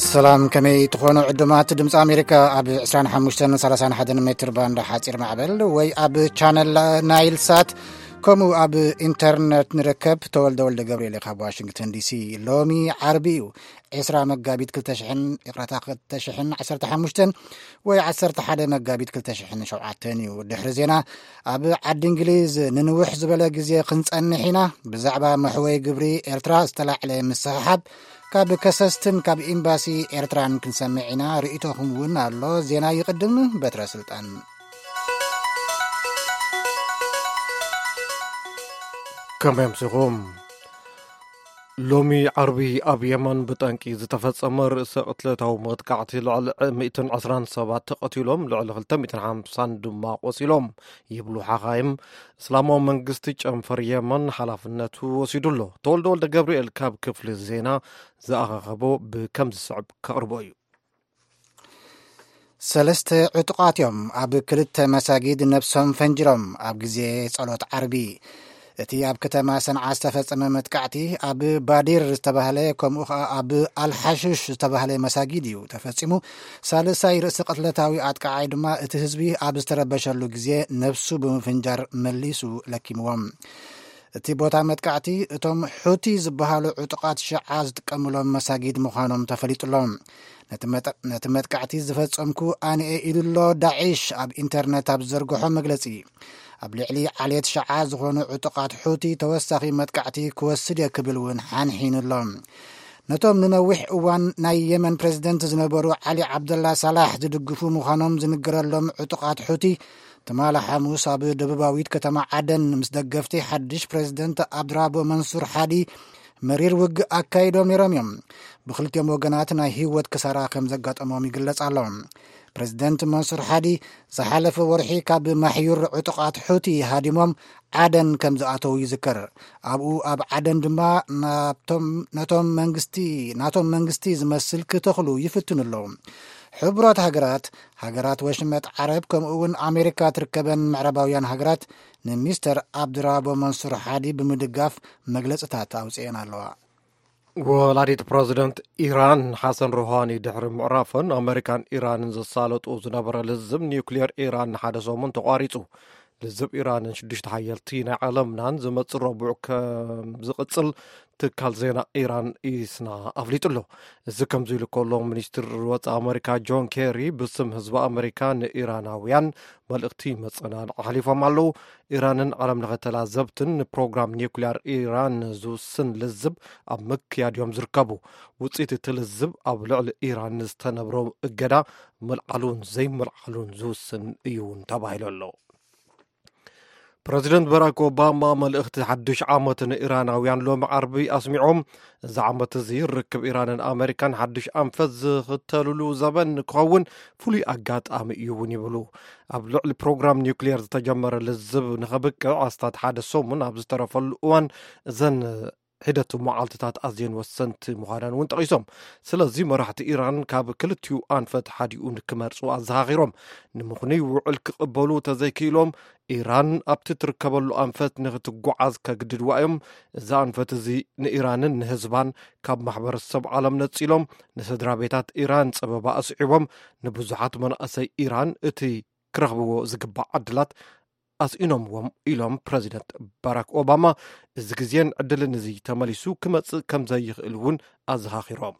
ሰላም፣ ከመይ ትኾኑ ዕዱማት ድምፂ ኣሜሪካ? ኣብ ዕስራን ሓሙሽተን ሰላሳን ሓደን ሜትር ባንድ ሓፂር ማዕበል ወይ ኣብ ቻነል ናይል ሳት፣ ከምኡ ኣብ ኢንተርነት ንርከብ። ተወልደ ወልደ ገብርኤል ካብ ዋሽንግተን ዲሲ። ሎሚ ዓርቢ እዩ፣ ዕስራ መጋቢት ክልተ ሽሕን፣ ይቕረታ፣ ክልተ ሽሕን ዓሰርተ ሓሙሽተን ወይ ዓሰርተ ሓደ መጋቢት ክልተ ሽሕን ሸውዓተን እዩ። ድሕሪ ዜና፣ ኣብ ዓዲ እንግሊዝ ንንውሕ ዝበለ ግዜ ክንጸንሕ ኢና። ብዛዕባ መሕወይ ግብሪ ኤርትራ ዝተላዕለ ምስሕሓብ ካብ ከሰስትን ካብ ኤምባሲ ኤርትራን ክንሰምዕ ኢና። ርእይቶኹም እውን ኣሎ። ዜና ይቕድም። በትረ ስልጣን። ከመይ ኣምሲኹም? ሎሚ ዓርቢ ኣብ የመን ብጠንቂ ዝተፈጸመ ርእሰ ቅትለታዊ መጥቃዕቲ ልዕሊ ሚእትን ዕስራን ሰባት ተቐቲሎም፣ ልዕሊ ክልተ ሚእትን ሓምሳን ድማ ቆሲሎም ይብሉ ሓኻይም። እስላማዊ መንግስቲ ጨንፈር የመን ሓላፍነቱ ወሲዱ ኣሎ። ተወልደ ወልደ ገብርኤል ካብ ክፍሊ ዜና ዝኣኻኸቦ ብከም ዝስዕብ ከቕርቦ እዩ። ሰለስተ ዕጡቓት እዮም ኣብ ክልተ መሳጊድ ነብሶም ፈንጅሮም ኣብ ግዜ ጸሎት ዓርቢ። እቲ ኣብ ከተማ ሰንዓ ዝተፈጸመ መጥቃዕቲ ኣብ ባዲር ዝተባህለ፣ ከምኡ ኸኣ ኣብ ኣልሓሽሽ ዝተባህለ መሳጊድ እዩ ተፈጺሙ። ሳልሳይ ርእሰ ቅትለታዊ ኣጥቃዓይ ድማ እቲ ህዝቢ ኣብ ዝተረበሸሉ ግዜ ነብሱ ብምፍንጃር መሊሱ ለኪምዎም። እቲ ቦታ መጥቃዕቲ እቶም ሑቲ ዝበሃሉ ዕጡቓት ሽዓ ዝጥቀምሎም መሳጊድ ምዃኖም ተፈሊጡሎም። ነቲ መጠ-፣ ነቲ መጥቃዕቲ ዝፈጸምኩ ኣነ'የ ኢሉ'ሎ ዳዒሽ ኣብ ኢንተርነት ኣብ ዝዘርግሖ መግለጺ። ኣብ ልዕሊ ዓሌት ሽዓ ዝኾኑ ዕጡቓት ሑቲ ተወሳኺ መጥቃዕቲ ክወስድ እየ ክብል እውን ሓንሒኑ'ሎ። ነቶም ንነዊሕ እዋን ናይ የመን ፕሬዝደንት ዝነበሩ ዓሊ ዓብደላ ሳላሕ ዝድግፉ ምዃኖም ዝንገረሎም ዕጡቓት ሑቲ፣ ትማሊ ሓሙስ ኣብ ደቡባዊት ከተማ ዓደን ምስ ደገፍቲ ሓድሽ ፕሬዝደንት ኣብድራቦ መንሱር ሓዲ መሪር ውግእ ኣካይዶም ነይሮም እዮም። ብክልቲኦም ወገናት ናይ ህይወት ክሳራ ከም ዘጋጠሞም ይግለጽ ኣሎ። ፕሬዝደንት መንሱር ሓዲ ዝሓለፈ ወርሒ ካብ ማሕዩር ዕጡቓት ሑቲ ሃዲሞም ዓደን ከም ዝኣተዉ ይዝከር። ኣብኡ ኣብ ዓደን ድማ ናብቶም፣ ነቶም መንግስቲ፣ ናቶም መንግስቲ ዝመስል ክተኽሉ ይፍትኑ ኣለዉ። ሕቡራት ሃገራት፣ ሃገራት ወሽመጥ ዓረብ፣ ከምኡ እውን ኣሜሪካ ትርከበን ምዕራባውያን ሃገራት ንሚስተር ኣብድራቦ መንሱር ሓዲ ብምድጋፍ መግለጽታት ኣውጽኤን ኣለዋ። ወላዲት ፕረዚደንት ኢራን ሓሰን ሩሃኒ ድሕሪ ምዕራፈን፣ ኣመሪካን ኢራንን ዘሳለጡ ዝነበረ ልዝብ ኒውክሌር ኢራን ንሓደ ሰሙን ተቋሪጹ። ልዝብ ኢራንን ሽዱሽተ ሓየልቲ ናይ ዓለምናን ዝመጽእ ረቡዕ ከም ዝቕጽል ትካል ዜና ኢራን ኢስና ኣፍሊጡ ኣሎ። እዚ ከምዚ ኢሉ ከሎ፣ ሚኒስትር ወጻኢ ኣመሪካ ጆን ኬሪ ብስም ህዝቢ ኣመሪካ ንኢራናውያን መልእኽቲ መጸናንዒ ኣሕሊፎም ኣለዉ። ኢራንን ዓለም ለኸ ተላዘብትን ንፕሮግራም ኒውክሊያር ኢራን ዝውስን ልዝብ ኣብ ምክያድ እዮም ዝርከቡ። ውጽኢት እቲ ልዝብ ኣብ ልዕሊ ኢራን ዝተነብሮ እገዳ ምልዓሉን ዘይምልዓሉን ዝውስን እዩ እውን ተባሂሉ ኣሎ። ፕረዚደንት በራክ ኦባማ መልእኽቲ ሓድሽ ዓመት ንኢራናውያን ሎሚ ዓርቢ ኣስሚዖም፣ እዚ ዓመት እዚ ርክብ ኢራንን ኣመሪካን ሓድሽ ኣንፈት ዝኽተልሉ ዘበን ክኸውን ፍሉይ ኣጋጣሚ እዩ እውን ይብሉ። ኣብ ልዕሊ ፕሮግራም ኒውክሊየር ዝተጀመረ ልዝብ ንኸብቅዕ ኣስታት ሓደ ሰሙን ኣብ ዝተረፈሉ እዋን፣ እዘን ሒደት መዓልትታት ኣዝየን ወሰንቲ ምዃነን እውን ጠቒሶም። ስለዚ መራሕቲ ኢራን ካብ ክልቲኡ ኣንፈት ሓዲኡ ንክመርጹ ኣዘኻኺሮም። ንምኽኑይ ውዕል ክቕበሉ ተዘይክኢሎም፣ ኢራን ኣብቲ ትርከበሉ ኣንፈት ንክትጓዓዝ ከግድድዋ እዮም። እዚ ኣንፈት እዚ ንኢራንን ንህዝባን ካብ ማሕበረሰብ ዓለም ነጺሎም፣ ንስድራ ቤታት ኢራን ጸበባ ኣስዒቦም፣ ንብዙሓት መናእሰይ ኢራን እቲ ክረኽብዎ ዝግባእ ዕድላት ኣስኢኖምዎም ኢሎም ፕረዚደንት ባራክ ኦባማ። እዚ ግዜን ዕድልን እዚ ተመሊሱ ክመጽእ ከም ዘይኽእል እውን ኣዘኻኺሮም።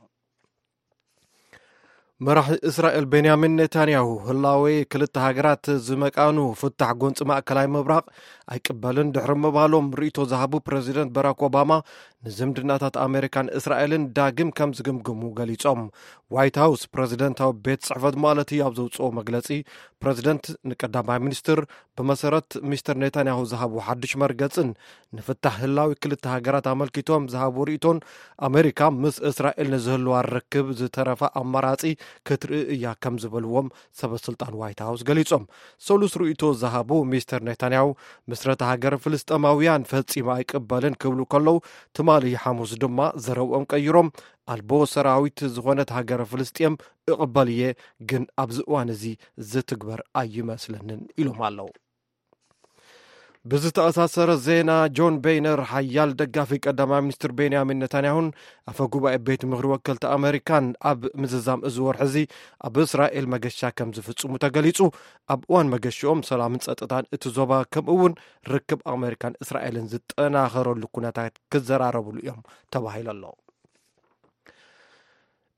መራሒ እስራኤል ቤንያሚን ኔታንያሁ ህላዌ ክልተ ሃገራት ዝመቃኑ ፍታሕ ጎንፂ ማእከላይ ምብራቕ ኣይቅበልን ድሕሪ ምባሎም ርእይቶ ዝሃቡ ፕረዚደንት ባራክ ኦባማ ንዝምድናታት ኣሜሪካን እስራኤልን ዳግም ከም ዝግምግሙ ገሊጾም። ዋይት ሃውስ ፕረዚደንታዊ ቤት ጽሕፈት ማለት እዩ ኣብ ዘውጽኦ መግለጺ ፕረዚደንት ንቀዳማይ ሚኒስትር ብመሰረት ሚስተር ኔታንያሁ ዝሃቡ ሓድሽ መርገጽን ንፍታሕ ህላዊ ክልተ ሃገራት ኣመልኪቶም ዝሃቡ ርእይቶን ኣሜሪካ ምስ እስራኤል ንዝህልዋ ርክብ ዝተረፈ ኣማራጺ ክትርኢ እያ ከም ዝበልዎም ሰበ ስልጣን ዋይት ሃውስ ገሊጾም። ሰሉስ ርእይቶ ዝሃቡ ሚስተር ኔታንያሁ ምስረታ ሃገር ፍልስጤማውያን ፈጺሙ ኣይቅበልን ክብሉ ከለዉ ትማ ትማሊ ሓሙስ ድማ ዘረብኦም ቀይሮም፣ ኣልቦ ሰራዊት ዝኾነት ሃገረ ፍልስጤም እቕበል እየ፣ ግን ኣብዚ እዋን እዚ ዝትግበር ኣይመስለንን ኢሎም ኣለዉ። ብዝተኣሳሰረ ዜና፣ ጆን ቤይነር፣ ሓያል ደጋፊ ቀዳማይ ሚኒስትር ቤንያሚን ነታንያሁን ኣፈ ጉባኤ ቤት ምኽሪ ወከልቲ ኣመሪካን፣ ኣብ ምዝዛም እዚ ወርሒ እዚ ኣብ እስራኤል መገሻ ከም ዝፍጽሙ ተገሊጹ። ኣብ እዋን መገሽኦም ሰላምን ጸጥታን እቲ ዞባ፣ ከምኡ እውን ርክብ ኣመሪካን እስራኤልን ዝጠናኸረሉ ኩነታት ክዘራረብሉ እዮም ተባሂሉ ኣሎ።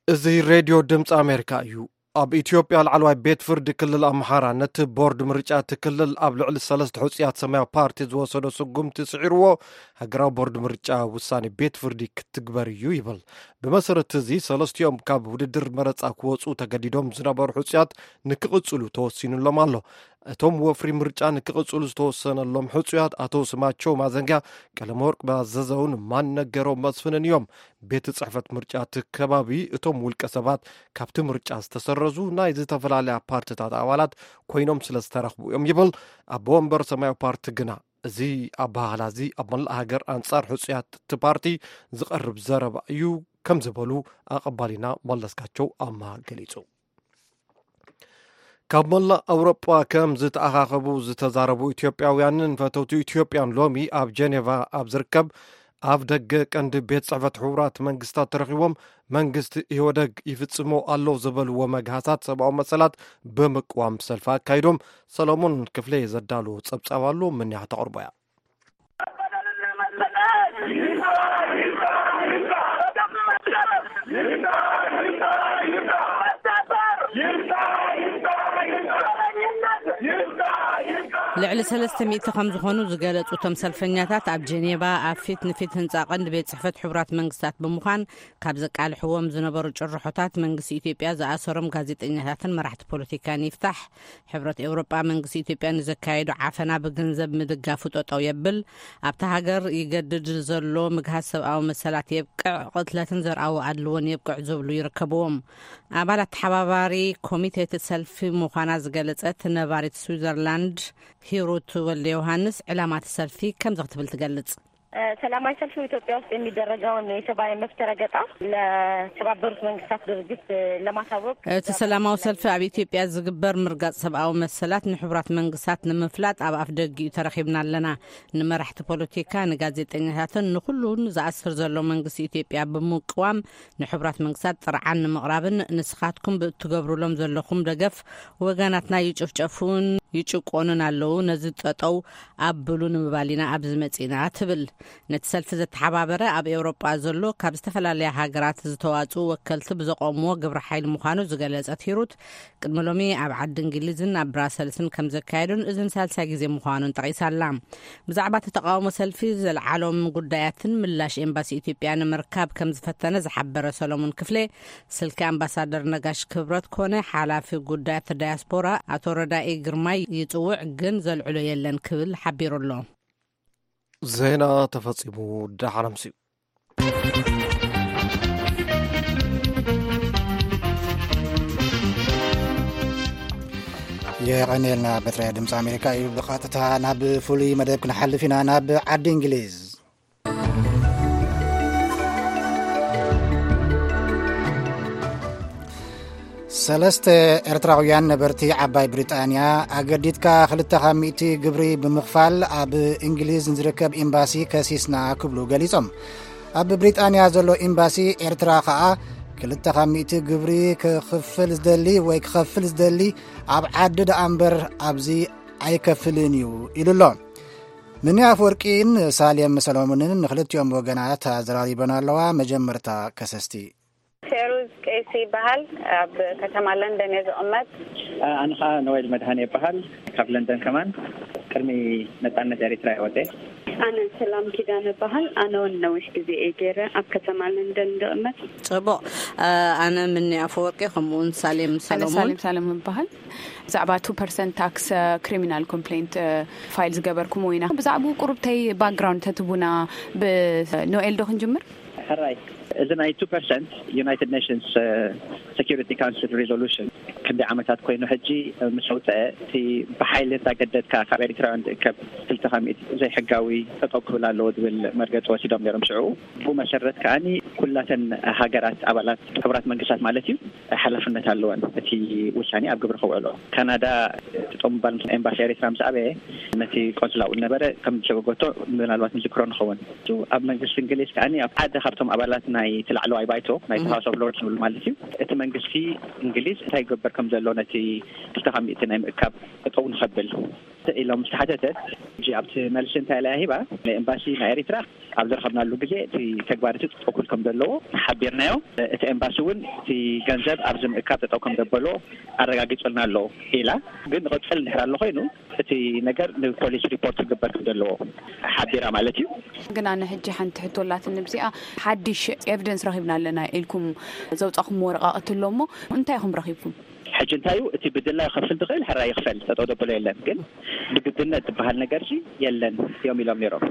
እዚ ሬድዮ ድምፂ ኣሜሪካ እዩ። ኣብ ኢትዮጵያ ላዕለዋይ ቤት ፍርዲ ክልል ኣምሓራ ነቲ ቦርድ ምርጫ እቲ ክልል ኣብ ልዕሊ ሰለስተ ሕፁያት ሰማያዊ ፓርቲ ዝወሰዶ ስጉምቲ ስዒርዎ፣ ሃገራዊ ቦርድ ምርጫ ውሳኔ ቤት ፍርዲ ክትግበር እዩ ይብል። ብመሰረት እዚ ሰለስቲኦም ካብ ውድድር መረፃ ክወፁ ተገዲዶም ዝነበሩ ሕፁያት ንክቕፅሉ ተወሲኑሎም ኣሎ። እቶም ወፍሪ ምርጫ ንክቕፅሉ ዝተወሰነሎም ሕፁያት ኣቶ ስማቸው ማዘንጊያ፣ ቀለመወርቅ ባዘዘውን ማን ነገረው መስፍንን እዮም። ቤት ጽሕፈት ምርጫ እቲ ከባቢ፣ እቶም ውልቀ ሰባት ካብቲ ምርጫ ዝተሰረዙ ናይ ዝተፈላለያ ፓርትታት ኣባላት ኮይኖም ስለ ዝተረኽቡ እዮም ይብል። ኣቦ ወንበር ሰማያዊ ፓርቲ ግና፣ እዚ ኣበሃህላ እዚ ኣብ መላእ ሃገር ኣንጻር ሕጹያት እቲ ፓርቲ ዝቐርብ ዘረባ እዩ ከም ዝበሉ ኣቐባሊና መለስካቸው ኣምሃ ገሊጹ። ካብ መላእ ኣውሮጳ ከም ዝተኣኻኸቡ ዝተዛረቡ ኢትዮጵያውያንን ፈተውቲ ኢትዮጵያን ሎሚ ኣብ ጀኔቫ ኣብ ዝርከብ ኣፍ ደገ ቀንዲ ቤት ጽሕፈት ሕቡራት መንግስታት ተረኺቦም፣ መንግስቲ ኢህወደግ ይፍጽሞ ኣሎ ዝበልዎ መግሃሳት ሰብኣዊ መሰላት ብምቅዋም ሰልፊ ኣካይዶም። ሰሎሞን ክፍሌ ዘዳለዎ ጸብጻብ ኣሎ፣ ምንያ ተቕርቦ እያ። ልዕሊ ሰለስተ ሚእቲ ከም ዝኾኑ ዝገለጹ እቶም ሰልፈኛታት፣ ኣብ ጀኔቫ ኣብ ፊት ንፊት ህንጻ ቀንዲ ቤት ጽሕፈት ሕቡራት መንግስታት ብምዃን፣ ካብ ዘቃልሕዎም ዝነበሩ ጭርሖታት፣ መንግስቲ ኢትዮጵያ ዝኣሰሮም ጋዜጠኛታትን መራሕቲ ፖለቲካን ይፍታሕ፣ ሕብረት ኤውሮጳ መንግስቲ ኢትዮጵያ ንዘካየዶ ዓፈና ብገንዘብ ምድጋፉ ጠጠው የብል፣ ኣብታ ሃገር ይገድድ ዘሎ ምግሃስ ሰብኣዊ መሰላት የብቅዕ፣ ቅትለትን ዘርኣዊ ኣድልዎን የብቅዕ ዝብሉ ይርከብዎም። ኣባላት ተሓባባሪ ኮሚቴ እቲ ሰልፊ ምዃና ዝገለጸት ነባሪት ስዊዘርላንድ ሂሩት ወልደ ዮሃንስ፣ ዕላማ እቲ ሰልፊ ከምዚ ክትብል ትገልጽ። እ፣ ሰላማዊ ሰልፊ ኢትዮጵያ ውስጥ የሚደረገውን የሰብአዊ መብት ረገጣ ለተባበሩት መንግስታት ድርጅት፣ እ፣ ለማሳወቅ። እቲ ሰላማዊ ሰልፊ ኣብ ኢትዮጵያ ዝግበር ምርጋጽ ሰብኣዊ መሰላት ንሕቡራት መንግስታት ንምፍላጥ ኣብ ኣፍ ደጊኡ ተረኺብና ኣለና። ንመራሕቲ ፖለቲካ፣ ንጋዜጠኛታትን ንኹሉን ዝኣስር ዘሎ መንግስቲ ኢትዮጵያ ብምቅዋም፣ ንሕቡራት መንግስታት ጥርዓን ንምቕራብን ንስኻትኩም ብእትገብሩሎም ዘለኹም ደገፍ ወገናትና ይጭፍጨፉን ይጭቆኑን ኣለዉ፣ ነዚ ጠጠው ኣብሉ ንምባል ኢና ኣብዚ መጺእና ትብል። ነቲ ሰልፊ ዘተሓባበረ ኣብ ኤውሮጳ ዘሎ ካብ ዝተፈላለያ ሃገራት ዝተዋጽኡ ወከልቲ ብዘቆምዎ ግብረ ሓይሊ ምዃኑ ዝገለጸት ሂሩት፣ ቅድሚ ሎሚ ኣብ ዓዲ እንግሊዝን ኣብ ብራሰልስን ከም ዘካየዱን እዝን ሳልሳይ ግዜ ምዃኑን ጠቒሳ ኣላ። ብዛዕባ እቲ ተቓውሞ ሰልፊ ዘልዓሎም ጉዳያትን ምላሽ ኤምባሲ ኢትዮጵያ ንምርካብ ከም ዝፈተነ ዝሓበረ ሰሎሞን ክፍሌ፣ ስልኪ ኣምባሳደር ነጋሽ ክብረት ኮነ ሓላፊ ጉዳያት ዳያስፖራ ኣቶ ረዳኢ ግርማይ ይጽውዕ፣ ግን ዘልዕሎ የለን ክብል ሓቢሩ ኣሎ። ዜና ተፈጺሙ። ደሓን ኣምስዩ። የቐንየልና። በትረ ድምፂ ኣሜሪካ እዩ። ብቐጥታ ናብ ፍሉይ መደብ ክንሓልፍ ኢና፣ ናብ ዓዲ እንግሊዝ። ሰለስተ ኤርትራውያን ነበርቲ ዓባይ ብሪጣንያ፣ ኣገዲድካ ክልተ ካብ ሚእቲ ግብሪ ብምኽፋል ኣብ እንግሊዝ ንዝርከብ ኤምባሲ ከሲስና ክብሉ ገሊጾም። ኣብ ብሪጣንያ ዘሎ ኤምባሲ ኤርትራ ከኣ፣ ክልተ ካብ ሚእቲ ግብሪ ክኽፍል ዝደሊ ወይ ክኸፍል ዝደሊ ኣብ ዓዲ ደኣ እምበር ኣብዚ ኣይከፍልን እዩ ኢሉ ኣሎ። ምኒ ኣፈወርቂን ሳሌም ሰሎሞንን ንክልቲኦም ወገናት ኣዘራሪበን ኣለዋ። መጀመርታ ከሰስቲ። ፌሩዝ ቀይሲ ይበሃል። ኣብ ከተማ ለንደን እየ ዝቕመጥ። ኣነ ኸዓ ኖዌል መድሃኔ ይበሃል። ካብ ለንደን ከማን። ቅድሚ ነጻነት ኤሪትራ እየ ወጸ። ኣነ ሰላም ኪዳነ እበሃል። ኣነ እውን ነዊሕ ግዜ እየ ገይረ ኣብ ከተማ ለንደን ዝቕመጥ። ጽቡቕ። ኣነ ምኒ ኣፈወርቂ፣ ከምኡ እውን ሳሌም ኣነ ሰሎሞን። ሳሌም ሳሌም እበሃል። ብዛዕባ ቱ ፐርሰንት ታክስ፣ ክሪሚናል ኮምፕሌንት ፋይል ዝገበርኩሞ ኢና። ብዛዕባኡ ቁሩብተይ ባክግራውንድ ተትቡና። ብኖኤል ዶ ክንጅምር? ሕራይ። እዚ ናይ two percent United Nations Security Council resolution ክንደይ ዓመታት ኮይኑ ሕጂ ምስ ኣውፀአ፣ እቲ ብሓይሊ እንዳገደድካ ካብ ኤሪትራውያን ዝእከብ ክልተ ካብ ሚእቲ ዘይሕጋዊ ጠጠው ክብል ኣለዎ ዝብል መርገፂ ወሲዶም ነይሮም። ሽዑ ብኡ መሰረት ከዓኒ ኩላተን ሃገራት ኣባላት ሕቡራት መንግስታት ማለት እዩ ሓላፍነት ኣለወን እቲ ውሳኔ ኣብ ግብሪ ከውዕሎ። ካናዳ ጠጠው ምባል ምስ ኤምባሲ ኤሪትራ ምስ ኣበየ ነቲ ቆንስላ ኣብኡ ዝነበረ ከም ዝሸጎጎቶ ምናልባት ንዝክሮ ንኸውን። እሱ ኣብ መንግስቲ እንግሊዝ ከዓኒ ኣብ ሓደ ካብቶም ኣባላት ናይ እቲ ላዕለዋይ ባይቶ ናይ ሃውስ ኦፍ ሎርድስ ዝብል ማለት እዩ፣ እቲ መንግስቲ እንግሊዝ እንታይ ይገበር ከም ዘሎ ነቲ ክልተ ካብ ሚእቲ ናይ ምእካብ ጠጠው ንኸብል ኢሎም ዝተሓተተት፣ ሕጂ ኣብቲ መልሲ እንታይ ኢላ ሂባ? ንኤምባሲ ናይ ኤሪትራ ኣብ ዝረኸብናሉ ግዜ እቲ ተግባር እቲ ጠጠው ክብል ከም ዘለዎ ሓቢርናዮ። እቲ ኤምባሲ እውን እቲ ገንዘብ ኣብዚ ምእካብ ጠጠው ከም ዘበሎ ኣረጋጊጹልና ኣሎ ኢላ። ግን ንቐጽል እንድሕር ኣሎ ኮይኑ እቲ ነገር ንፖሊስ ሪፖርት ክግበር ከም ዘለዎ ሓቢራ ማለት እዩ። ግን ኣነ ሕጂ ሓንቲ ሕቶ ኣላትኒ ብዚኣ፣ ሓድሽ ኤቪደንስ ረኺብና ኣለና ኢልኩም ዘውጻኹም ወረቃቕቲ ኣሎ እሞ እንታይ ኢኹም ረኺብኩም? ሕጂ እንታይ እዩ እቲ ብድላ ይኸፍል ዝኽእል ሕራይ ይኽፈል፣ ጠጠው ዘበሎ የለን። ግን ብግድነት ዝበሃል ነገር ሲ የለን እዮም ኢሎም ነይሮም።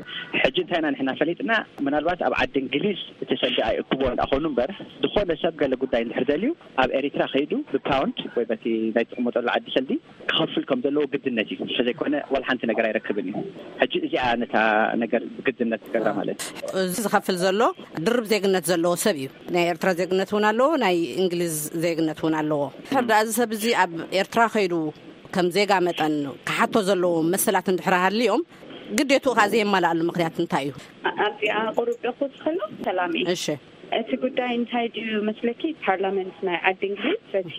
ሕጂ እንታይ ኢና ንሕና ፈሊጥና? ምናልባት ኣብ ዓዲ እንግሊዝ እቲ ሰንዲ ኣይእክቦ እንዳኾኑ እምበር፣ ዝኾነ ሰብ ገለ ጉዳይ እንድሕር ደልዩ ኣብ ኤሪትራ ከይዱ ብፓውንድ ወይ በቲ ናይ ትቕመጠሉ ዓዲ ሰንዲ ክኸፍል ከም ዘለዎ ግድነት እዩ። ስለዘይኮነ ዋላ ሓንቲ ነገር ኣይረክብን እዩ። ሕጂ እዚኣ ነታ ነገር ብግድነት ትገብራ ማለት እዩ። እዚ ዝኸፍል ዘሎ ድርብ ዜግነት ዘለዎ ሰብ እዩ። ናይ ኤርትራ ዜግነት እውን ኣለዎ፣ ናይ እንግሊዝ ዜግነት እውን ኣለዎ። ሕርዳ እዚ ሰብ እዚ ኣብ ኤርትራ ከይዱ ከም ዜጋ መጠን ክሓቶ ዘለዎ መሰላት እንድሕር ሃልዮም ግዴትኡ ከዓ ዘየማልኣሉ ምክንያት እንታይ እዩ? ኣብዚኣ ቁሩብ ዶ ክውስኸሉ? ሰላም እዩ። እሺ። እቲ ጉዳይ እንታይ ድዩ መስለኪ? ፓርላመንት ናይ ዓዲ እንግሊዝ በቲ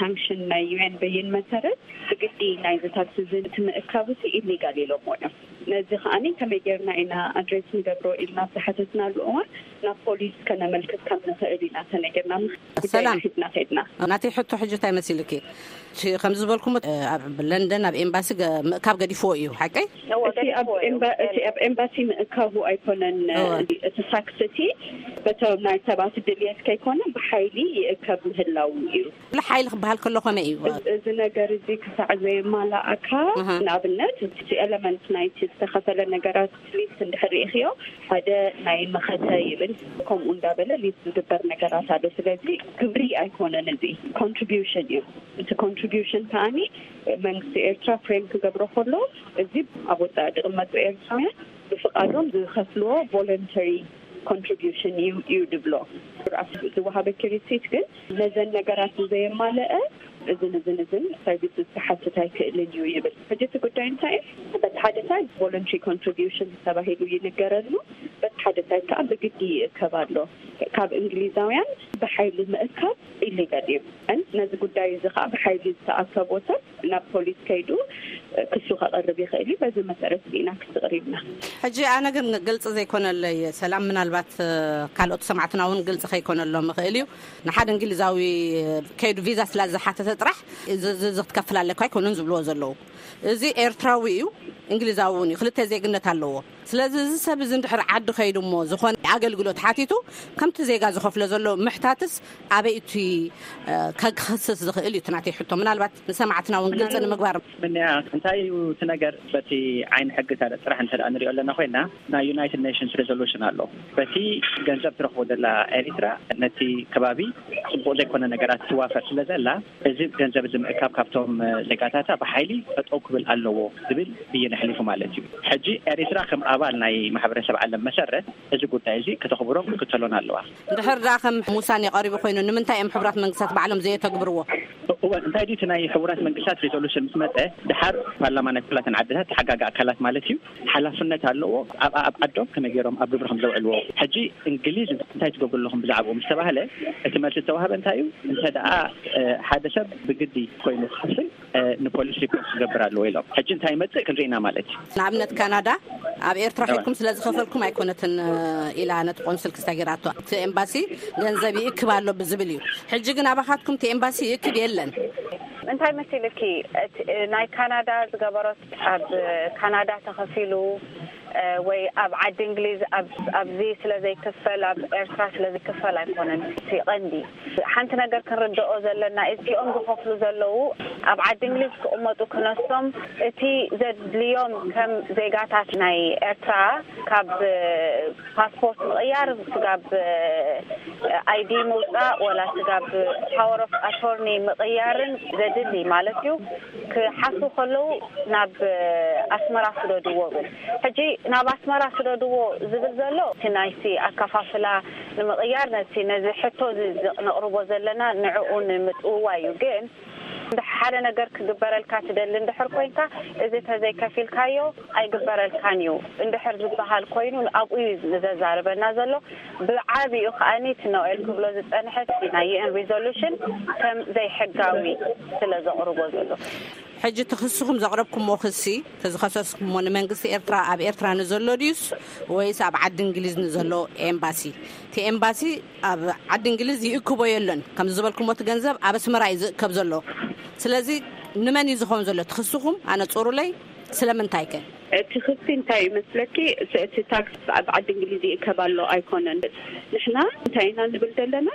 ሳንክሽን ናይ ዩ ኤን ብይን መሰረት ብግዲ ናይዚ ታክስ እዚ እቲ ምእካብ እዚ ኢሊጋል ኢሎሞ እዮም። ነዚ ከዓኒ ከመይ ጌርና ኢና ኣድሬስ ንገብሮ ኢልና ኣብ ዝሓተትናሉ እዋን ናብ ፖሊስ ከነመልክት ከም ንኽእል ኢና ተነጊርና። ጉዳይ ሰላም። ሒዝና ከድና። ናተይ ሕቶ ሕጂ እንታይ መሲልኪ? እቲ ከም ዝበልኩም ኣብ ለንደን ኣብ ኤምባሲ ገ- ምእካብ ገዲፍዎ እዩ፣ ሓቀይ? እቲ ኣብ ኤምባ- እቲ ኣብ ኤምባሲ ምእካቡ ኣይኮነን። እወ። እቲ ታክስ እቲ በቶም ናይ ሰባት ድልየት ከይኮነ ብሓይሊ ይእከብ ምህላው እዩ። ብሓይሊ ክበሃል ከሎ ከመይ እዩ? እዚ ነገር እዚ ክሳዕ ዘየማላእካ፣ ኣሃ። ንኣብነት እቲ ኤለመንት ናይቲ ዝተኸፈለ ነገራት ሊስት እንድሕር ርኢኽዮ፣ ሓደ ናይ መኸተ ይብል፣ ከምኡ እንዳበለ ሊስት ዝግበር ነገራት ኣሎ። ስለዚ ግብሪ ኣይኮነን፣ እዚ ኮንትሪቢዩሽን እዩ። እቲ ኮንትሪቢዩሽን ከዓኒ መንግስቲ ኤርትራ ፍሬም ክገብሮ ከሎ፣ እዚ ኣብ ወጻኢ ዝቕመጡ ኤርትራውያን ብፍቓዶም ዝኸፍልዎ ቮለንተሪ ኮንትሪቢዩሽን እዩ እዩ ድብሎ። ዝወሃበኪ ሪሲት ግን ነዘን ነገራት ዘየማለአ እዝን እዝን እዝን ሰርቪስስ ክሓትት ኣይክእልን እዩ ይብል። ሕጂ እቲ ጉዳይ እንታይ እዩ? በቲ ሓደ ሳይድ ቮለንተሪ ኮንትሪቢዩሽን ተባሂሉ ይንገረሉ፣ በቲ ሓደ ሳይድ ከዓ ብግዲ ይእከብ ኣሎ። ካብ እንግሊዛውያን ብሓይሊ ምእካብ ኢሊጋል እዩ። And ነዚ ጉዳይ እዚ ከዓ ብሓይሊ ዝተኣከቦ ሰብ ናብ ፖሊስ ከይዱ ክሱ ከቕርብ ይኽእል እዩ። በዚ መሰረት ኢና ክስቕር ኢልና። ሕጂ ኣነ ግን ግልፂ ዘይኮነለይ ሰላም፣ ምናልባት ካልኦት ሰማዕትና እውን ግልፂ ከይኮነሎም ይኽእል እዩ። ንሓደ እንግሊዛዊ ከይዱ ቪዛ ስላ ዝሓተተ ጥራሕ እዚ እዚ ክትከፍል ኣለካ ኣይኮኑን ዝብልዎ ዘለዉ። እዚ ኤርትራዊ እዩ፣ እንግሊዛዊ እውን እዩ፣ ክልተ ዜግነት ኣለዎ። ስለዚ እዚ ሰብ እዚ እንድሕር ዓዲ ከይዱ እሞ ዝኾነ ኣገልግሎት ሓቲቱ ከምቲ ዜጋ ዝኸፍሎ ዘሎ ምሕታትስ ኣበይ እቲ ከክስስ ዝኽእል እዩ? እቲ ናተይ ሕቶ ምናልባት ንሰማዕትና እውን ግልፂ ንምግባር። ምንያ እንታይ እዩ እቲ ነገር? በቲ ዓይኒ ሕጊ ጥራሕ እንተ ንሪኦ ኣለና ኮይና ናይ ዩናይትድ ኔሽንስ ሬዞሉሽን ኣሎ። በቲ ገንዘብ ትረኽቦ ዘላ ኤሪትራ ነቲ ከባቢ ፅቡቕ ዘይኮነ ነገራት ትዋፈር ስለ ዘላ እዚ ገንዘብ እዚ ምእካብ ካብቶም ዜጋታታ ብሓይሊ ጠጠው ክብል ኣለዎ ዝብል ብይን ኣሕሊፉ ማለት እዩ። ሕጂ ኤሪትራ ከም ኣባል ናይ ማሕበረሰብ ዓለም መሰረት እዚ ጉዳይ እዚ ከተኽብሮን ክትከተሎን ኣለዋ። እንድሕር ደኣ ከም ውሳኔ ቀሪቡ ኮይኑ ንምንታይ እዮም ሕቡራት መንግስታት ባዕሎም ዘየተግብርዎ? እወ እንታይ ድዩ እቲ ናይ ሕቡራት መንግስታት ሬዞሉሽን ምስ መፀ ድሓር ፓርላማ ናይ ኩላተን ዓድታት ተሓጋጊ ኣካላት ማለት እዩ ሓላፍነት ኣለዎ ኣብ ኣብ ዓዶም ከመይ ገይሮም ኣብ ግብሪ ከም ዘውዕልዎ። ሕጂ እንግሊዝ እንታይ ትገብሩ ኣለኹም ብዛዕባኡ ምስ ተባህለ እቲ መልሲ ዝተዋህበ እንታይ እዩ? እንተ ደኣ ሓደ ሰብ ብግዲ ኮይኑ ክኸፍል ንፖሊስ ሪፖርት ክገብር ኣለዎ ኢሎም። ሕጂ እንታይ ይመፅእ ክንርኢ ኢና ማለት እዩ። ንኣብነት ካናዳ ኣብ ኤርትራ ኬድኩም ስለ ዝኸፈልኩም ኣይኮነትን ኢላ ነቲ ቆንስል ክስታ ጌራቶ። እቲ ኤምባሲ ገንዘብ ይእክብ ኣሎ ብዝብል እዩ። ሕጂ ግን ኣባኻትኩም እቲ ኤምባሲ ይእክብ የለን። እንታይ መሲልኪ? ናይ ካናዳ ዝገበሮት ኣብ ካናዳ ተኸፊሉ ወይ ኣብ ዓዲ እንግሊዝ ኣብዚ ስለ ዘይክፈል፣ ኣብ ኤርትራ ስለ ዝክፈል ኣይኮነን እቲ ቀንዲ። ሓንቲ ነገር ክንርድኦ ዘለና፣ እዚኦም ዝኸፍሉ ዘለዉ ኣብ ዓዲ እንግሊዝ ክቕመጡ ክነሶም፣ እቲ ዘድልዮም ከም ዜጋታት ናይ ኤርትራ ካብ ፓስፖርት ምቕያር፣ ስጋብ ኣይዲ ምውፃእ፣ ወላ ስጋብ ፓወር ኦፍ ኣቶርኒ ምቕያርን ዘድሊ ማለት እዩ። ክሓቱ ከለዉ ናብ ኣስመራ ስደድዎ ብል። ሕጂ ናብ ኣስመራ ስደድዎ ዝብል ዘሎ እቲ ናይቲ ኣከፋፍላ ንምቕያር፣ ነቲ ነዚ ሕቶ እዚ ነቕርቦ ዘለና ንዕኡ ንምጥውዋይ እዩ። ግን ሓደ ነገር ክግበረልካ ትደሊ እንድሕር ኮይንካ፣ እዚ ተዘይከፊልካዮ ኣይግበረልካን እዩ እንድሕር ዝበሃል ኮይኑ፣ ኣብኡ እዩ ዘዛርበና ዘሎ። ብዓቢኡ ከኣኒ እቲ ኖኤል ክብሎ ዝጸንሐ እቲ ናይ ዩ ኤን ሪዞሉሽን ከም ዘይሕጋዊ ስለ ዘቕርቦ ዘሎ። ሕጂ እቲ ክስኹም ዘቕረብኩሞ ክሲ፣ እቲ ዝኸሰስኩሞ ንመንግስቲ ኤርትራ፣ ኣብ ኤርትራ ንዘሎ ድዩስ ወይስ ኣብ ዓዲ እንግሊዝ ንዘሎ ኤምባሲ? እቲ ኤምባሲ ኣብ ዓዲ እንግሊዝ ይእክቦ የሎን። ከም ዝበልኩሞ እቲ ገንዘብ ኣብ ኣስመራ እዩ ዝእከብ ዘሎ። ስለዚ ንመን እዩ ዝኸውን ዘሎ እቲ ክስኹም? ኣነጽሩለይ። ስለምንታይ ከ? እቲ ክሲ እንታይ ይመስለኪ? እቲ፣ እቲ ታክስ ኣብ ዓዲ እንግሊዝ ይእከብ ኣሎ ኣይኮነን። ንሕና እንታይ ኢና ንብል ዘለና?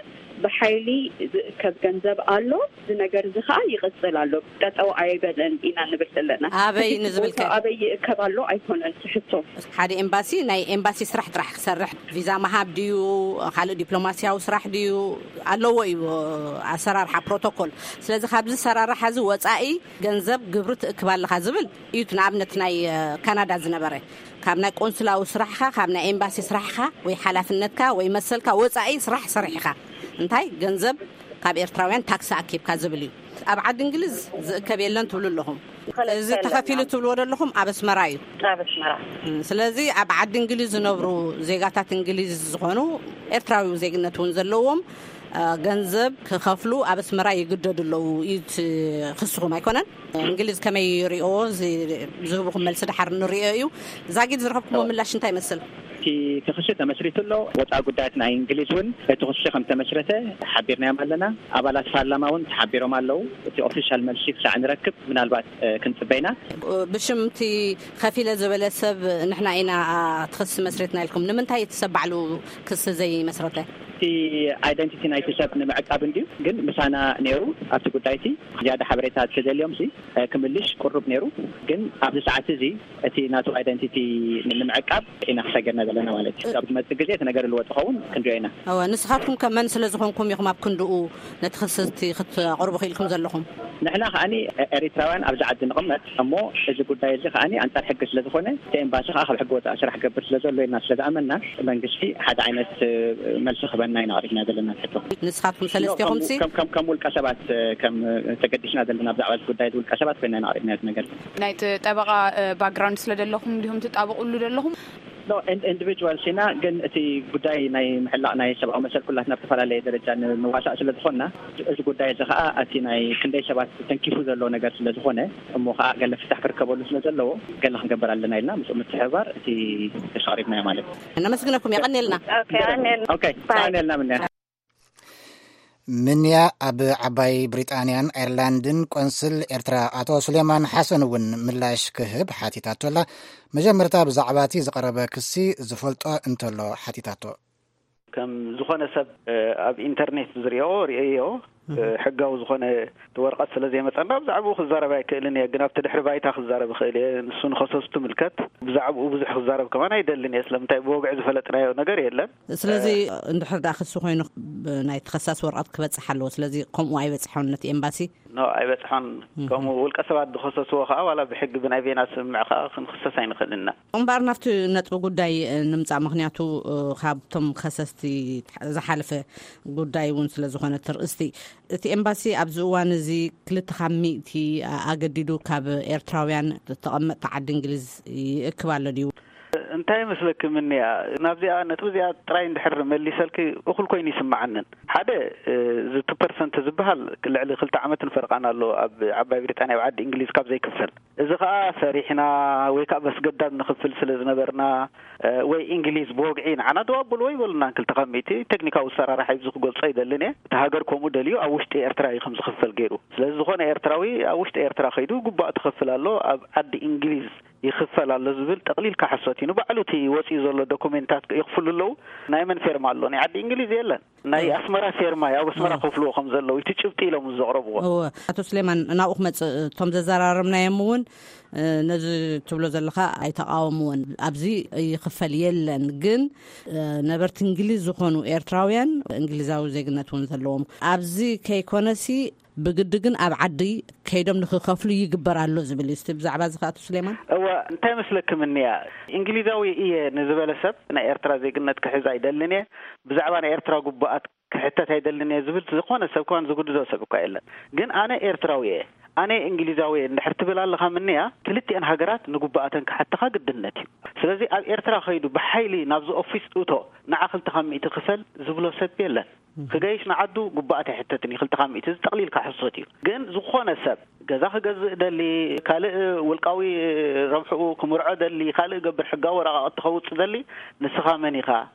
ብሓይሊ ዝእከብ ገንዘብ ኣሎ፣ እዚ ነገር እዚ ኸኣ ይቕጽል ኣሎ፣ ጠጠው ኣይበለን ኢና ንብል ዘለና። ኣበይ እቲ ንዝብል ከ? ሕቶ ኣበይ ይእከብ ኣሎ ኣይኮነን እቲ ሕቶ። ሓደ ኤምባሲ ናይ ኤምባሲ ስራሕ ጥራሕ ክሰርሕ፣ ቪዛ ምሃብ ድዩ፣ ካልእ ዲፕሎማስያዊ ስራሕ ድዩ ኣለዎ እዩ ኣሰራርሓ፣ ፕሮቶኮል። ስለዚ ካብዚ ኣሰራርሓ እዚ ወጻኢ ገንዘብ ግብሪ ትእክብ ኣለኻ ዝብል እዩ። እቲ ንኣብነት ናይ፣ እ፣ ካናዳ ዝነበረ፣ ካብ ናይ ቆንስላዊ ስራሕኻ፣ ካብ ናይ ኤምባሲ ስራሕኻ ወይ ሓላፍነትካ ወይ መሰልካ ወጻኢ ስራሕ ሰሪሕኻ እንታይ ገንዘብ ካብ ኤርትራውያን ታክሲ ኣኪብካ ዝብል እዩ። ኣብ ዓዲ እንግሊዝ ዝእከብ የለን ትብሉ ኣለኹም። ክልተ እዚ ኣለና። ተኸፊሉ ትብልዎ ዘለኹም ኣብ ኣስመራ እዩ። ኣብ ኣስመራ። እም፣ ስለዚ ኣብ ዓዲ እንግሊዝ ዝነብሩ ዜጋታት እንግሊዝ ዝኾኑ ኤርትራዊ ዜግነት እውን ዘለዎም፣ እ፣ ገንዘብ ክኸፍሉ ኣብ ኣስመራ ይግደዱ ኣለዉ እዩ እቲ ክስኹም ኣይኮነን? እንግሊዝ ከመይ ይሪኦ? እዚ ዝህብኹም መልሲ ደሓር ንሪኦ እዩ። ዛጊድ ዝረኸብኩሞ ምላሽ እንታይ ይመስል? እቲ ክሲ ተመስሪቱ ኣሎ። ወፃኢ ጉዳያት ናይ እንግሊዝ እውን እቲ ክሲ ከም ተመስረተ ሓቢርናዮም ኣለና። ኣባላት ፓርላማ እውን ተሓቢሮም ኣለዉ። እቲ ኦፊሻል መልሲ ክሳዕ ንረክብ ምናልባት፣ እ፣ ክንፅበይና። ብሽም እቲ ከፊለ ዝበለ ሰብ ንሕና ኢና እቲ ክሲ መስሪትና ኢልኩም፣ ንምንታይ እቲ ሰብ ባዕሉ ክሲ ዘይመስረተ? እቲ ኣይደንቲቲ ናይቲ ሰብ ንምዕቃብ እንድዩ፣ ግን ምሳና ነይሩ ኣብቲ ጉዳይ እቲ። ዝያዳ ሓበሬታ ተደልዮም ሲ፣ እ፣ ክምልሽ ቅሩብ ነይሩ፣ ግን ኣብዚ ሰዓት እዚ እቲ ናቱ ኣይደንቲቲ ንምዕቃብ ኢና ክሰገርና ዘለና ማለት እዩ። ኣብ ዝመጽእ ግዜ እቲ ነገር ልወጥ ኸውን ክንሪኦ ኢና። እወ፣ ንስኻትኩም ከ መን ስለ ዝኾንኩም ኢኹም ኣብ ክንድኡ ነቲ ክስቲ ክትቕርቡ ክኢልኩም ዘለኹም? ንሕና ከኣኒ ኤሪትራውያን ኣብዚ ዓዲ ንቕመጥ እሞ፣ እዚ ጉዳይ እዚ ከኣኒ ኣንጻር ሕጊ ስለ ዝኾነ፣ እቲ ኤምባሲ ከኣ ካብ ሕጊ ወጻኢ ስራሕ ክገብር ስለ ዘሎ ኢልና ስለ ዝኣመንና፣ መንግስቲ ሓደ ዓይነት፣ እ፣ መልሲ ክበና ኢና ኣቕሪብና ዘለና ሕቶ። ንስኻትኩም ሰለስቴኹም ሲ? ከም፣ ከም፣ ከም ውልቀ ሰባት፣ እ፣ ከም ተገዲስና ዘለና ብዛዕባ እዚ ጉዳይ እዚ ውልቀ ሰባት ኮይና ኢና ኣቕሪብና እዚ ነገር። ናይቲ ጠበቓ፣ እ፣ ባክግራውንድ ስለ ዘለኹም እንዲኹም ትጣበቑሉ ዘለኹም? ኖ፣ ኢን-፣ ኢንዲቪጁዋልስ ኢና፣ ግን እቲ ጉዳይ ናይ ምሕላቕ ናይ ሰብኣዊ መሰል ኩላትና ኣብ ዝተፈላለየ ደረጃ ን-፣ ንዋሳእ ስለ ዝኾንና፣ እዚ ጉዳይ እዚ ኸኣ እቲ ናይ ክንደይ ሰባት ተንኪፉ ዘሎ ነገር ስለ ዝኾነ፣ እሞ ኸኣ ገለ ፍታሕ ክርከበሉ ስለ ዘለዎ፣ ገለ ክንገብር ኣለና ኢልና ምስኡ ምትሕብባር እቲ ክስ ኣቕሪብናዮ ማለት እዩ። ነመስግነኩም፣ የቐንየልና። ኦኬ፣ የቐንየልና። ኦኬ፣ ባይ። የቐንየልና ምንያ። ምንያ ኣብ ዓባይ ብሪጣንያን ኣየርላንድን ቆንስል ኤርትራ ኣቶ ሱሌማን ሓሰን እውን ምላሽ ክህብ ሓቲታቶ ኣላ። መጀመርታ ብዛዕባ እቲ ዝቐረበ ክሲ ዝፈልጦ እንተሎ ሓቲታቶ። ከም ዝኾነ ሰብ፣ እ፣ ኣብ ኢንተርኔት ዝሪኦ ርእዮ፣ እ፣ ሕጋዊ ዝኾነ እቲ ወረቐት ስለ ዘይመጸና ብዛዕባኡ ክዛረብ ኣይክእልን እየ። ግን ኣብቲ ድሕሪ ባይታ ክዛረብ እኽእል እየ። ንሱ ንኸሰሱ ትምልከት። ብዛዕባኡ ብዙሕ ክዛረብ ከማን ኣይደልን እየ። ስለምንታይ ብወግዒ ዝፈለጥናዮ ነገር የለን። ስለዚ እ፣ እንድሕር ደኣ ክሲ ኮይኑ ብ-፣ ናይ ተኸሳሲ ወረቐት ክበጽሕ ኣለዎ። ስለዚ ከምኡ ኣይበጽሖን ነቲ ኤምባሲ? ኖ፣ ኣይበጽሖን። እም። ከምኡ ውልቀ ሰባት ዝኸሰስዎ ከኣ ዋላ ብሕጊ ብናይ ቤና ስምምዕ ከኣ ክንኽሰስ ኣይንኽእልን ኢና። እምበኣር ናብቲ ነጥቢ ጉዳይ፣ እ፣ ንምጻእ፣ ምኽንያቱ፣ እ፣ ካብቶም ከሰስቲ ዝሓለፈ ጉዳይ እውን ስለ ዝኾነ እቲ ርእስቲ፣ እቲ ኤምባሲ ኣብዚ እዋን እዚ ክልተ ካብ ሚእቲ ኣገዲዱ ካብ ኤርትራውያን ተቐመጥቲ ዓዲ እንግሊዝ ይእክብ ኣሎ ድዩ? እንታይ ይመስለኪ ምንያ፣ ናብዚኣ ነጥቢ እዚኣ ጥራይ እንድሕር መሊሰልኪ እኹል ኮይኑ ይስምዓንን። ሓደ፣ እ፣ እዚ ቱ ፐርሰንት ዝበሃል ልዕሊ ክልተ ዓመትን ፈረቓን ኣሎ ኣብ ዓባይ ብሪጣንያ፣ ኣብ ዓዲ እንግሊዝ ካብ ዘይክፈል። እዚ ኸኣ ሰሪሕና ወይ ከኣ በስገዳድ ንኽፍል ስለ ዝነበርና፣ እ፣ ወይ እንግሊዝ ብወግዒ ንዓና ደው ኣብልዎ ይበሉና፣ ክልተ ካብ ሚእቲ ቴክኒካዊ ኣሰራርሓ እዩ፣ እዚ ክገልጾ ኣይደልን እየ። እቲ ሃገር ከምኡ ደልዩ ኣብ ውሽጢ ኤርትራ እዩ ከም ዝኽፈል ገይሩ። ስለዚ ዝኾነ ኤርትራዊ ኣብ ውሽጢ ኤርትራ ከይዱ ግቡእ ትኸፍል ኣሎ፣ ኣብ ዓዲ እንግሊዝ ይኽፈል ኣሎ ዝብል ጠቕሊልካ ሓሶት እዩ። ንባዕሉ እቲ ወፂኡ ዘሎ ዶኩሜንታት ይኽፍሉ ኣለዉ። ናይ መን ፌርማ ኣሎ? ናይ ዓዲ እንግሊዝ የለን። ናይ ኣስመራ ፌርማ እዩ። ኣብ ኣስመራ ከፍልዎ ከም ዘለዉ እቲ ጭብጢ ኢሎም ዘቕረብዎ። እወ፣ ኣቶ ስሌማን፣ ናብኡ ክመፅእ፣ እቶም ዘዘራረብናዮም እውን ነዚ ትብሎ ዘለኻ ኣይተቃወምዎን። ኣብዚ ይኽፈል የለን፣ ግን ነበርቲ እንግሊዝ ዝኾኑ ኤርትራውያን እንግሊዛዊ ዜግነት እውን ዘለዎም ኣብዚ ከይኮነሲ ብግዲ ግን ኣብ ዓዲ ከይዶም ንክኸፍሉ ይግበር ኣሎ ዝብል እዩ። እስቲ ብዛዕባ እዚ ከኣቶ ስሌማን። እወ፣ እንታይ መስለክም እኒያ፣ እንግሊዛዊ እየ ንዝበለ ሰብ ናይ ኤርትራ ዜግነት ክሕዝ ኣይደልን እየ፣ ብዛዕባ ናይ ኤርትራ ጉባኣት ክሕተት ኣይደልን እየ ዝብል ዝኾነ ሰብ ከዋን ዝጉድዶ ሰብ እኳ የለን። ግን ኣነ ኤርትራዊ እየ፣ ኣነ እንግሊዛዊ እየ እንድሕር ትብል ኣለኻ ምንያ፣ ክልቲአን ሃገራት ንጉባኣተን ክሓተኻ ግድነት እዩ። ስለዚ ኣብ ኤርትራ ከይዱ ብሓይሊ ናብዚ ኦፊስ እቶ፣ ንዓ ክልተ ካብ ሚእቲ ክፈል ዝብሎ ሰብ የለን። ክገይሽ ንዓዱ ጉባኣት ኣይሕተትን እዩ። ክልተ ካብ ሚእቲ እዚ ጠቕሊልካ ሕሶት እዩ። ግን ዝኾነ ሰብ ገዛ ክገዝእ ደሊ፣ ካልእ ውልቃዊ ረብሕኡ ክምርዖ ደሊ፣ ካልእ ገብር ሕጋዊ ወረቃቕቲ ከውፅእ ደሊ፣ ንስኻ መን ኢኻ?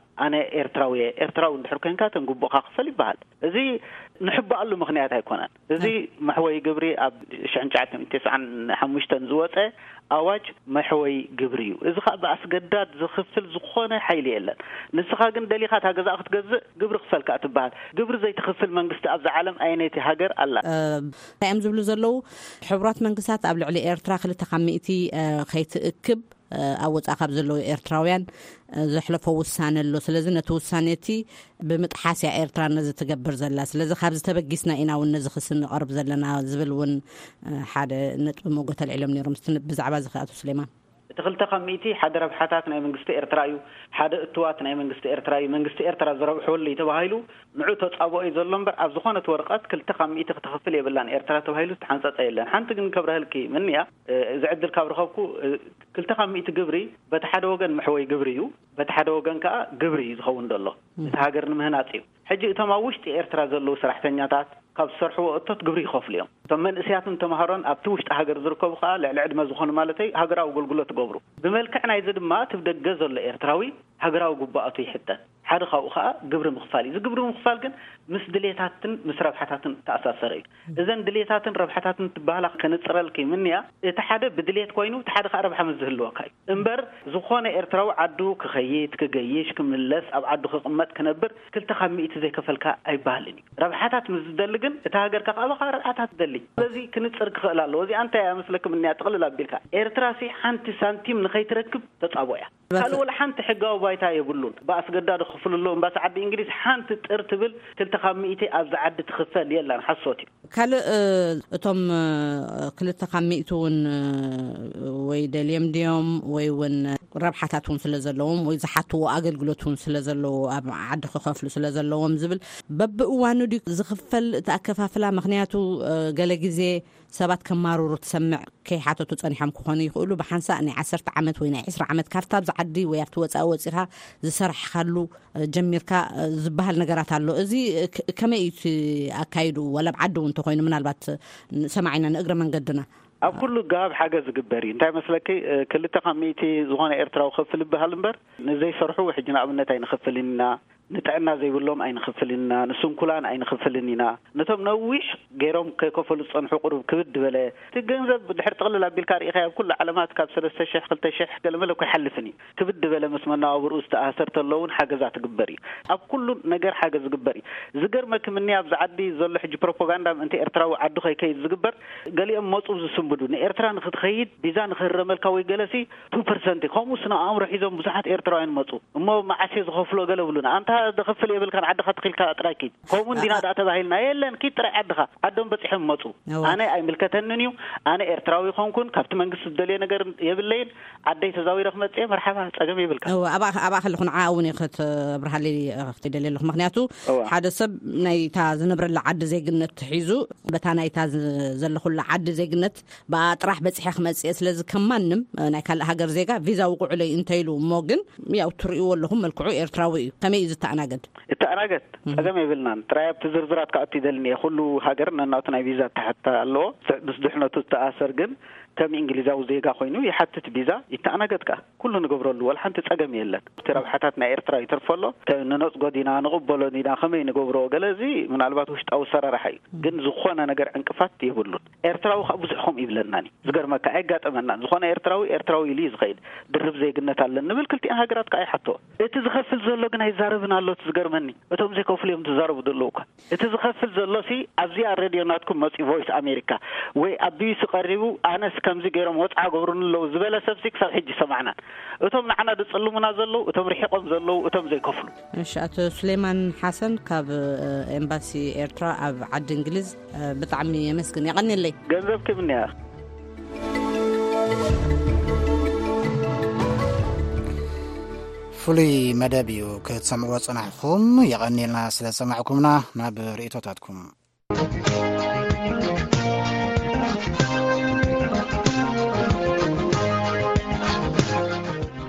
ኣነ ኤርትራዊ እየ። ኤርትራዊ እንድሕር ኮንካ ተን ጉቦኻ ክፈል ይበሃል። እዚ ንሕባኣሉ ምኽንያት ኣይኮነን። እዚ መሕወይ ግብሪ ኣብ ሽሕን ትሽዓተ ሚእትን ተስዓን ሓሙሽተን ዝወፀ ኣዋጅ መሕወይ ግብሪ እዩ። እዚ ከዓ ብኣስገዳድ ዝኽፍል ዝኾነ ሓይሊ የለን። ንስኻ ግን ደሊኻ እታ ገዛ ክትገዝእ ግብሪ ክፈልካ ትበሃል። ግብሪ ዘይትኽፍል መንግስቲ ኣብዛ ዓለም ኣየነይቲ ሃገር ኣላ? እንታይ እዮም ዝብሉ ዘለዉ? ሕቡራት መንግስታት ኣብ ልዕሊ ኤርትራ ክልተ ካብ ሚእቲ ከይትእክብ ኣብ ወፃኢ ካብ ዘለዉ ኤርትራውያን ዘሕለፎ ውሳነ ኣሎ። ስለዚ ነቲ ውሳነ እቲ ብምጥሓስ እያ ኤርትራ ነዚ ትገብር ዘላ። ስለዚ ካብዚ ተበጊስና ኢና እውን ነዚ ክሲ ንቐርብ ዘለና ዝብል እውን ሓደ ነጥቢ ሞገት ኣልዒሎም ነይሮም። እስቲ ብዛዕባ እዚ ከኣቶ ስሌማን። እቲ ክልተ ካብ ሚእቲ ሓደ ረብሓታት ናይ መንግስቲ ኤርትራ እዩ። ሓደ እትዋት ናይ መንግስቲ ኤርትራ እዩ። መንግስቲ ኤርትራ ዝረብሐሉ እዩ ተባሂሉ ንዑ ተጻብኦ እዩ ዘሎ እምበር ኣብ ዝኾነት ወረቐት ክልተ ካብ ሚእቲ ክትኸፍል የብላን ኤርትራ ተባሂሉ ዝተሓንጸጸ የለን። ሓንቲ ግን ከብረህልኪ ምንያ፣ እዚ ዕድል ካብ ረኸብኩ፣ ክልተ ካብ ሚእቲ ግብሪ በቲ ሓደ ወገን መሕወይ ግብሪ እዩ፣ በቲ ሓደ ወገን ከኣ ግብሪ እዩ ዝኸውን ዘሎ። እቲ ሃገር ንምህናጽ እዩ። ሕጂ እቶም ኣብ ውሽጢ ኤርትራ ዘለዉ ሰራሕተኛታት ካብ ዝሰርሕዎ እቶት ግብሪ ይኸፍሉ እዮም። እቶም መንእስያትን ተምሃሮን ኣብቲ ውሽጢ ሃገር ዝርከቡ ከኣ ልዕሊ ዕድመ ዝኾኑ ማለተይ ሃገራዊ ኣገልግሎት ይገብሩ። ብመልክዕ ናይዚ ድማ እቲ ብደገ ዘሎ ኤርትራዊ ሃገራዊ ጉባኣቱ ይሕተት። ሓደ ካብኡ ከኣ ግብሪ ምኽፋል እዩ። እዚ ግብሪ ምኽፋል ግን ምስ ድሌታትን ምስ ረብሓታትን ተኣሳሰረ እዩ። እዘን ድሌታትን ረብሓታትን ትበሃላ ከነጽረልኪ ምንያ፣ እቲ ሓደ ብድሌት ኮይኑ እቲ ሓደ ከኣ ረብሓ ምስ ዝህልወካ እዩ። እምበር ዝኾነ ኤርትራዊ ዓዱ ክኸይድ፣ ክገይሽ፣ ክምለስ፣ ኣብ ዓዱ ክቕመጥ፣ ክነብር ክልተ ካብ ሚእቲ ዘይከፈልካ ኣይበሃልን እዩ። ረብሓታት ምስ ዝደሊ ግን እታ ሃገር ከኣ ካባኻ ረብሓታት ትደሊ። ስለዚ ክንጽር ክኽእል ኣለዎ። እዚኣ እንታይ እያ መስለክም እንያ ጥቕልል ኣቢልካ ኤርትራ ሲ ሓንቲ ሳንቲም ንኸይትረክብ ተጻቦ እያ። ካልእ ወላ ሓንቲ ሕጋዊ ባይታ የብሉን። ብኣስገዳድ ክኽፍሉ ኣለዎም። ባስ ዓዲ እንግሊዝ ሓንቲ ጥር ትብል ክልተ ካብ ሚእቲ ኣብዚ ዓዲ ትኽፈል የላን። ሓሶት እዩ። ካልእ እቶም ክልተ ካብ ሚእቲ እውን ወይ ደልዮም ድዮም ወይ እውን ረብሓታት እውን ስለ ዘለዎም ወይ ዝሓትዎ ኣገልግሎት እውን ስለ ዘለዎ ኣብ ዓዲ ክኸፍሉ ስለ ዘለዎም ዝብል በብእዋኑ ድዩ ዝኽፈል እቲ ኣከፋፍላ? ምኽንያቱ ገለ ግዜ ሰባት ከማርሩ ትሰምዕ። ከይሓተቱ ጸኒሖም ክኾኑ ይኽእሉ። ብሓንሳእ ናይ ዓሰርተ ዓመት ወይ ናይ ዕስራ ዓመት ካብታ ኣብዚ ዓዲ ወይ ኣብቲ ወጻኢ ወጺኻ ዝሰራሕካሉ ጀሚርካ ዝበሃል ነገራት ኣሎ። እዚ ከመይ እዩ እቲ ኣካይዱ? ዋላ ኣብ ዓዲ እውን እንተኾይኑ ምናልባት ሰማዒና ንእግረ መንገድና ኣብ ኩሉ ጋብ ሓገዝ ዝግበር እዩ። እንታይ መስለኪ፣ ክልተ ካብ ሚእቲ ዝኾነ ኤርትራዊ ክፍል ይበሃል እምበር ንዘይሰርሑ ሕጂ ንኣብነት ኣይንኽፍልን ኢና፣ ንጥዕና ዘይብሎም ኣይንኽፍልን ኢና፣ ንስንኩላን ኣይንኽፍልን ኢና። ነቶም ነዊሕ ገይሮም ከይከፈሉ ዝጸንሑ ቁሩብ ክብድ ዝበለ እቲ ገንዘብ ድሕር ጥቕልል ኣቢልካ ርኢኻ ኣብ ኩሉ ዓለማት ካብ ሰለስተ ሽሕ ክልተ ሽሕ ገለመለ እኮ ይሓልፍን እዩ። ክብድ ዝበለ ምስ መነባብርኡ ዝተኣሳሰር ተሎ እውን ሓገዛ ትግበር እዩ። ኣብ ኩሉ ነገር ሓገዝ ዝግበር እዩ። ዝገርመኪ ምኒ ኣብዚ ዓዲ ዘሎ ሕጂ ፕሮፓጋንዳ ምእንቲ ኤርትራዊ ዓዱ ከይከይድ ዝግበር፣ ገሊኦም መጹ ዝስንብዱ ንኤርትራ ንክትኸይድ ቪዛ ንክህረመልካ ወይ ገለሲ ቱ ፐርሰንት ከምኡ ስነ ኣእምሮ ሒዞም ብዙሓት ኤርትራውያን መጹ። እሞ መዓስ እየ ዝኸፍሎ ገለ ብሉና። ኣንታ ዝኸፍል የብልካን ዓድኻ ተኺልካ ጥራይ ኪድ። ከምኡ እንዲና ደኣ ተባሂልና የለን ኪድ ጥራይ ዓድኻ። ዓዶም በጺሖም መጹ። ኣነ ኣይምልከተንን እዩ። ኣነ ኤርትራዊ ይኾንኩን ካብቲ መንግስቲ ዝደልዮ ነገር የብለይን። ዓደይ ተዛዊረ ክመጽእ እየ መርሓባ ጸገም የብልካ። ኣብኣ ከለኹ ንዓ እውን እየ ክትብርሃለይ ክትደልየ ኣለኹ። ምክንያቱ ሓደ ሰብ ናይታ ዝነብረላ ዓዲ ዜግነት ሒዙ በታ ናይታ ዘለኹላ ዓዲ ዜግነት ብኣ ጥራሕ በጺሐ ክመጽእ እየ። ስለዚ ከም ማንም ናይ ካልእ ሃገር ዜጋ ቪዛ ውቁዑለይ እንተኢሉ እሞ ግን ያው ትርእይዎ ኣለኹም መልክዑ ኤርትራዊ እዩ። ከመይ እዩ ይተኣናገድ? ይተኣናገድ፣ ጸገም የብልናን። ጥራይ ኣብቲ ዝርዝራት ክኣቱ ይደልን እየ። ኩሉ ሃገር ነናቱ ናይ ቪዛ ኣተሓትታ ኣለዎ። ምስ ድሕነቱ ዝተኣሰር ግን ከም እንግሊዛዊ ዜጋ ኮይኑ ይሓትት ቪዛ፣ ይተኣናገድ ከኣ። ኩሉ ንገብረሉ፣ ወላ ሓንቲ ጸገም የለን። እቲ ረብሓታት ናይ ኤርትራ ይተርፎ ኣሎ። ተ-፣ ንነጽጎ ዲና፣ ንቕበሎ ዲና፣ ከመይ ንገብሮ፣ ገለ እዚ ምናልባት ውሽጣዊ ሰራራሕ እዩ። ግን ዝኾነ ነገር ዕንቅፋት የብሉን። ኤርትራዊ ከኣ ብዙሕ ከምኡ ይብለናን እዩ። ዝገርመካ፣ ኣይጋጠመናን። ዝኾነ ኤርትራዊ፣ ኤርትራዊ ኢሉ እዩ ዝኸይድ። ድርብ ዜግነት ኣለን ንብል፣ ክልቲኣን ሃገራት ከኣ ይሓትዎ። እቲ ዝኸፍል ዘሎ ግን ኣይዛረብን ኣሎ። እቲ ዝገርመኒ፣ እቶም ዘይከፍሉ እዮም ዝዛረቡ ዘለዉ እኳ። እቲ ዝኸፍል ዘሎ ሲ፣ ኣብዚኣ ሬድዮ ናትኩም መጺኡ፣ ቮይስ ኣሜሪካ ወይ ኣብ ቢቢሲ ቀሪቡ፣ ኣነስ ከምዚ ገይሮም ወጽዓ ገብሩኒ ኣለዉ ዝበለ ሰብ ሲ፣ ክሳብ ሕጂ ሰማዕናን። እቶም ንዓና ዝጽልሙና ዘለዉ፣ እቶም ርሒቖም ዘለዉ፣ እቶም ዘይከፍሉ። እሺ፣ ኣቶ ሱሌማን ሓሰን ካብ፣ እ፣ ኤምባሲ ኤርትራ ኣብ ዓዲ እንግሊዝ፣ እ፣ ብጣዕሚ የመስግን። የቐንየለይ። ገንዘብ ክብኒ እያ። ፍሉይ መደብ እዩ ክትሰምዕዎ ጽናሕኩም። የቐንየልና ስለ ዝሰማዕኩምና። ናብ ርእይቶታትኩም።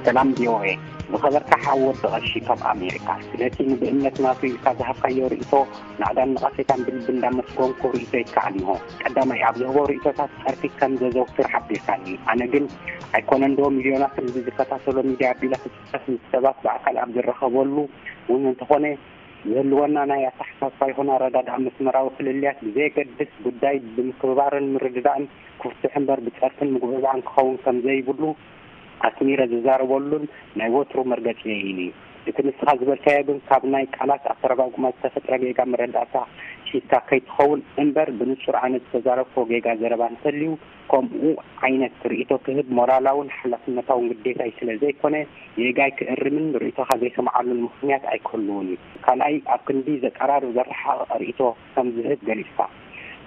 ሰላም ቪ ኦ ኤ፣ ዝኸበርካ ሓው ወዲ ቐሺ ካብ ኣሜሪካ፣ ስለቲ ንብእምነት ናቱ ኢልካ ዝሃብካዮ ርእይቶ ናእዳን ነቐፌታን ብልቢ እንዳመስገንኩ ርእይቶ ይከኣል እንሆ። ቀዳማይ፣ ኣብ ዝህቦ ርእይቶታት ጸርፊ ከም ዘዘውትር ሓቢርካኒ። ኣነ ግን ኣይኮነን ዶ ሚልዮናት ህዝቢ ዝከታተሎ ሚድያ ኣቢለ ክጽሕፍ ምስ ሰባት ብኣካል ኣብ ዝረኸበሉ እውን እንተኾነ ዝህልወና ናይ ኣተሓሳስባ ይኹን ኣረዳድኣ መስመራዊ ፍልልያት ብዘየገድስ ጉዳይ ብምክብባርን ምርድዳእን ክፍትሕ እምበር ብጸርፍን ምጉብዕባዕን ክኸውን ከም ዘይብሉ ኣስሚረ ዝዛረበሉን ናይ ወትሩ መርገጺየይን እዩ። እቲ ንስኻ ዝበልካዮ ግን ካብ ናይ ቃላት ኣተረጓጉማ ዝተፈጥረ ጌጋ መረዳእታ ሒዝካ ከይትኸውን እምበር ብንጹር ኣነ ዝተዛረብክዎ ጌጋ ዘረባ እንተልዩ ከምኡ ዓይነት ርእይቶ ክህብ ሞራላውን ሓላፍነታውን ግዴታይ ስለ ዘይኮነ ጌጋይ ክእርምን ርእይቶኻ ዘይሰምዓሉን ምኽንያት ኣይክህልውን እዩ። ካልኣይ ኣብ ክንዲ ዘቀራርብ ዘረሓቕቕ ርእይቶ ከም ዝህብ ገሊጽካ።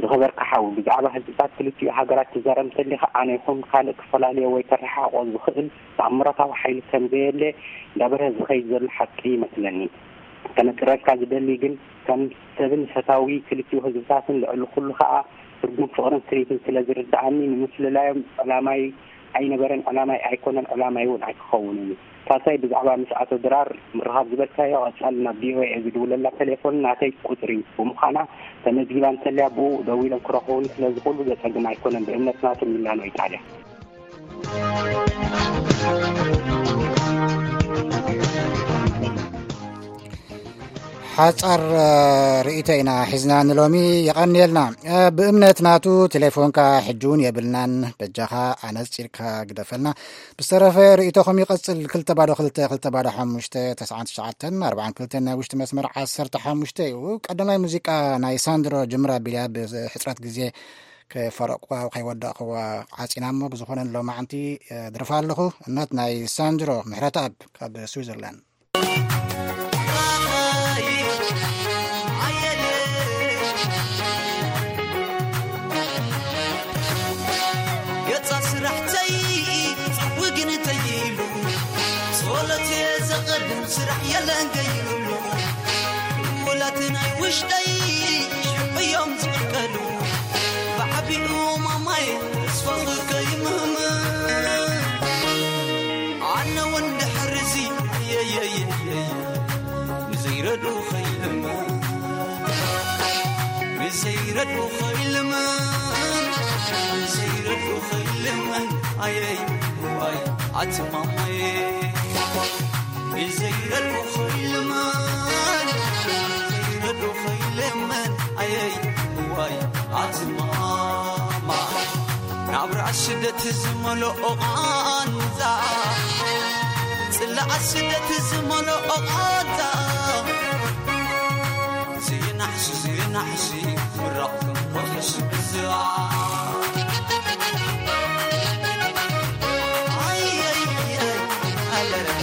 ዝኸበርካ ሓው፣ ብዛዕባ ህዝብታት ክልቲኡ ሃገራት ትዛረብ እንተሊኻ፣ ኣነ ይኹን ካልእ ክፈላለዮ ወይ ከረሓሕቆ ዝኽእል ተኣምራታዊ ሓይሊ ከም ዘየለ እንዳበርሀ ዝኸይድ ዘሎ ሓቂ ይመስለኒ። ከነጽረልካ ዝደሊ ግን፣ ከም ሰብን ፈታዊ ክልቲኡ ህዝብታትን ልዕሊ ኩሉ ከኣ ትርጉም ፍቕርን ስኒትን ስለ ዝርድኣኒ፣ ንምፍልላዮም ዕላማይ ኣይነበረን፣ ዕላማይ ኣይኮነን፣ ዕላማይ እውን ኣይክኸውንን እዩ። ሳልሳይ፣ ብዛዕባ ምስ ኣቶ ድራር ምርኻብ ዝበልካዮ፣ ቀጻሊ ናብ ቪ ኦ ኤ ዝድውለላ ቴሌፎን ናተይ ቁጽሪ ብምዃና ተመዝጊባ እንተልያ፣ ብኡ ደዊሎም ክረኽቡኒ ስለ ዝኽእሉ ዘጸግም ኣይኮነን፣ ብእምነት ናቱ ሚላኖ ኢጣልያ። ሓጻር፣ እ፣ ርእይቶ ኢና ሒዝና ንሎሚ። የቐንየልና። እ፣ ብእምነት ናቱ ቴሌፎንካ ሕጂ እውን የብልናን። በጃኻ ኣነጺርካ ግደፈልና። ብዝተረፈ ርእይቶኹም ይቐጽል። ክልተ ባዶ ክልተ፣ ክልተ ባዶ ሓሙሽተ፣ ተስዓን ትሽዓተን፣ ኣርባዓን ክልተን ናይ ውሽጢ መስመር ዓሰርተ ሓሙሽተ እዩ። ቀዳማይ ሙዚቃ ናይ ሳንድሮ ጅምራ ቢልያ ብሕጽረት ግዜ ከይፈረቕኩዋ፣ ከይወዳእኩዋ ዓጺና እሞ፣ ብዝኾነ ሎማዕንቲ፣ እ፣ ድርፋ ኣለኹ። እነት ናይ ሳንድሮ ምሕረተኣብ ካብ ስዊዘርላንድ። ገጻ ስራሕተይ ወግንተይ ኢሉ፣ ጸሎት እየ ዘቐድም፣ ስራሕ የለን ገይሩሉ። ውላት ናይ ውሽጠይ ሽዑ እዮም ዝቕልቀሉ፣ ብዓቢኡ ማማይ ተስፋ ከይምህም። ኣነ እውን ድሕርዚ የየየየየ ንዘይረዱ ኸይልምን፣ ንዘይረዱ ኸይልምን፣ ንዘይረዱ ኸይልምን። ኣየይ ዋይ ኣትማማየ፣ ንዘይረዱ ኸይልምን፣ ንዘይረዱ ኸይልምን። ኣየይ ዋይ ኣትማማ፣ ናብራ ስደት ዝመልኦ ቓንዛ፣ ጽላኣ ስደት ዝመልኦ ቓንዛ። ዘይናሕሲ፣ ዘይናሕሲ፣ ምራቕ ክንኮርስ ብዛ። ኣይ፣ ኣይ፣ ኣይ፣ ኣይ፣ ኣይ።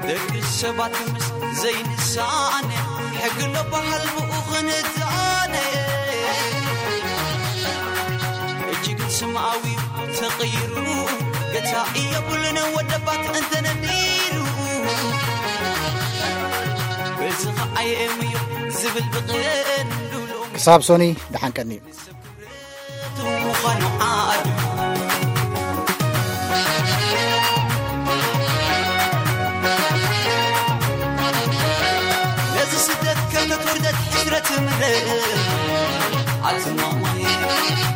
ደቂ ሰባት ምስ ዘይንሳነ፣ ሕጊ ኣሎ በሃል ብኡ ክንዛነ። እጅግን ስምኣዊ ተቐይሩ፣ ገታ የብሉን ወደባት እንተነዲሩ። በዚ ኸዓ የእምዮ ዝብል ብቐንዱሉ። ክሳብ ሶኒ ደሓን ቀኒ። ምዃኑ ዓዱ ኣቲ ማማየ፣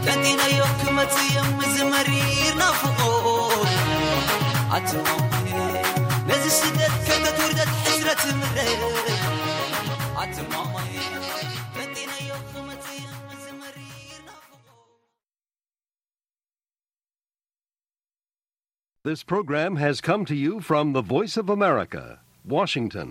ጠንጢነዮ ክመጽእ እየ፣ እዚ መሪር ናፍቖት። ኣቲ ማማየ፣ ነዚ ስደት ከተትውርደት ሕስረት ምረት። ኣቲ ማማየ፣ ጠንጢነዮ ክመጽእ እየ፣ እዚ መሪር ናፍቖት። This program has come to you from the Voice of America, Washington.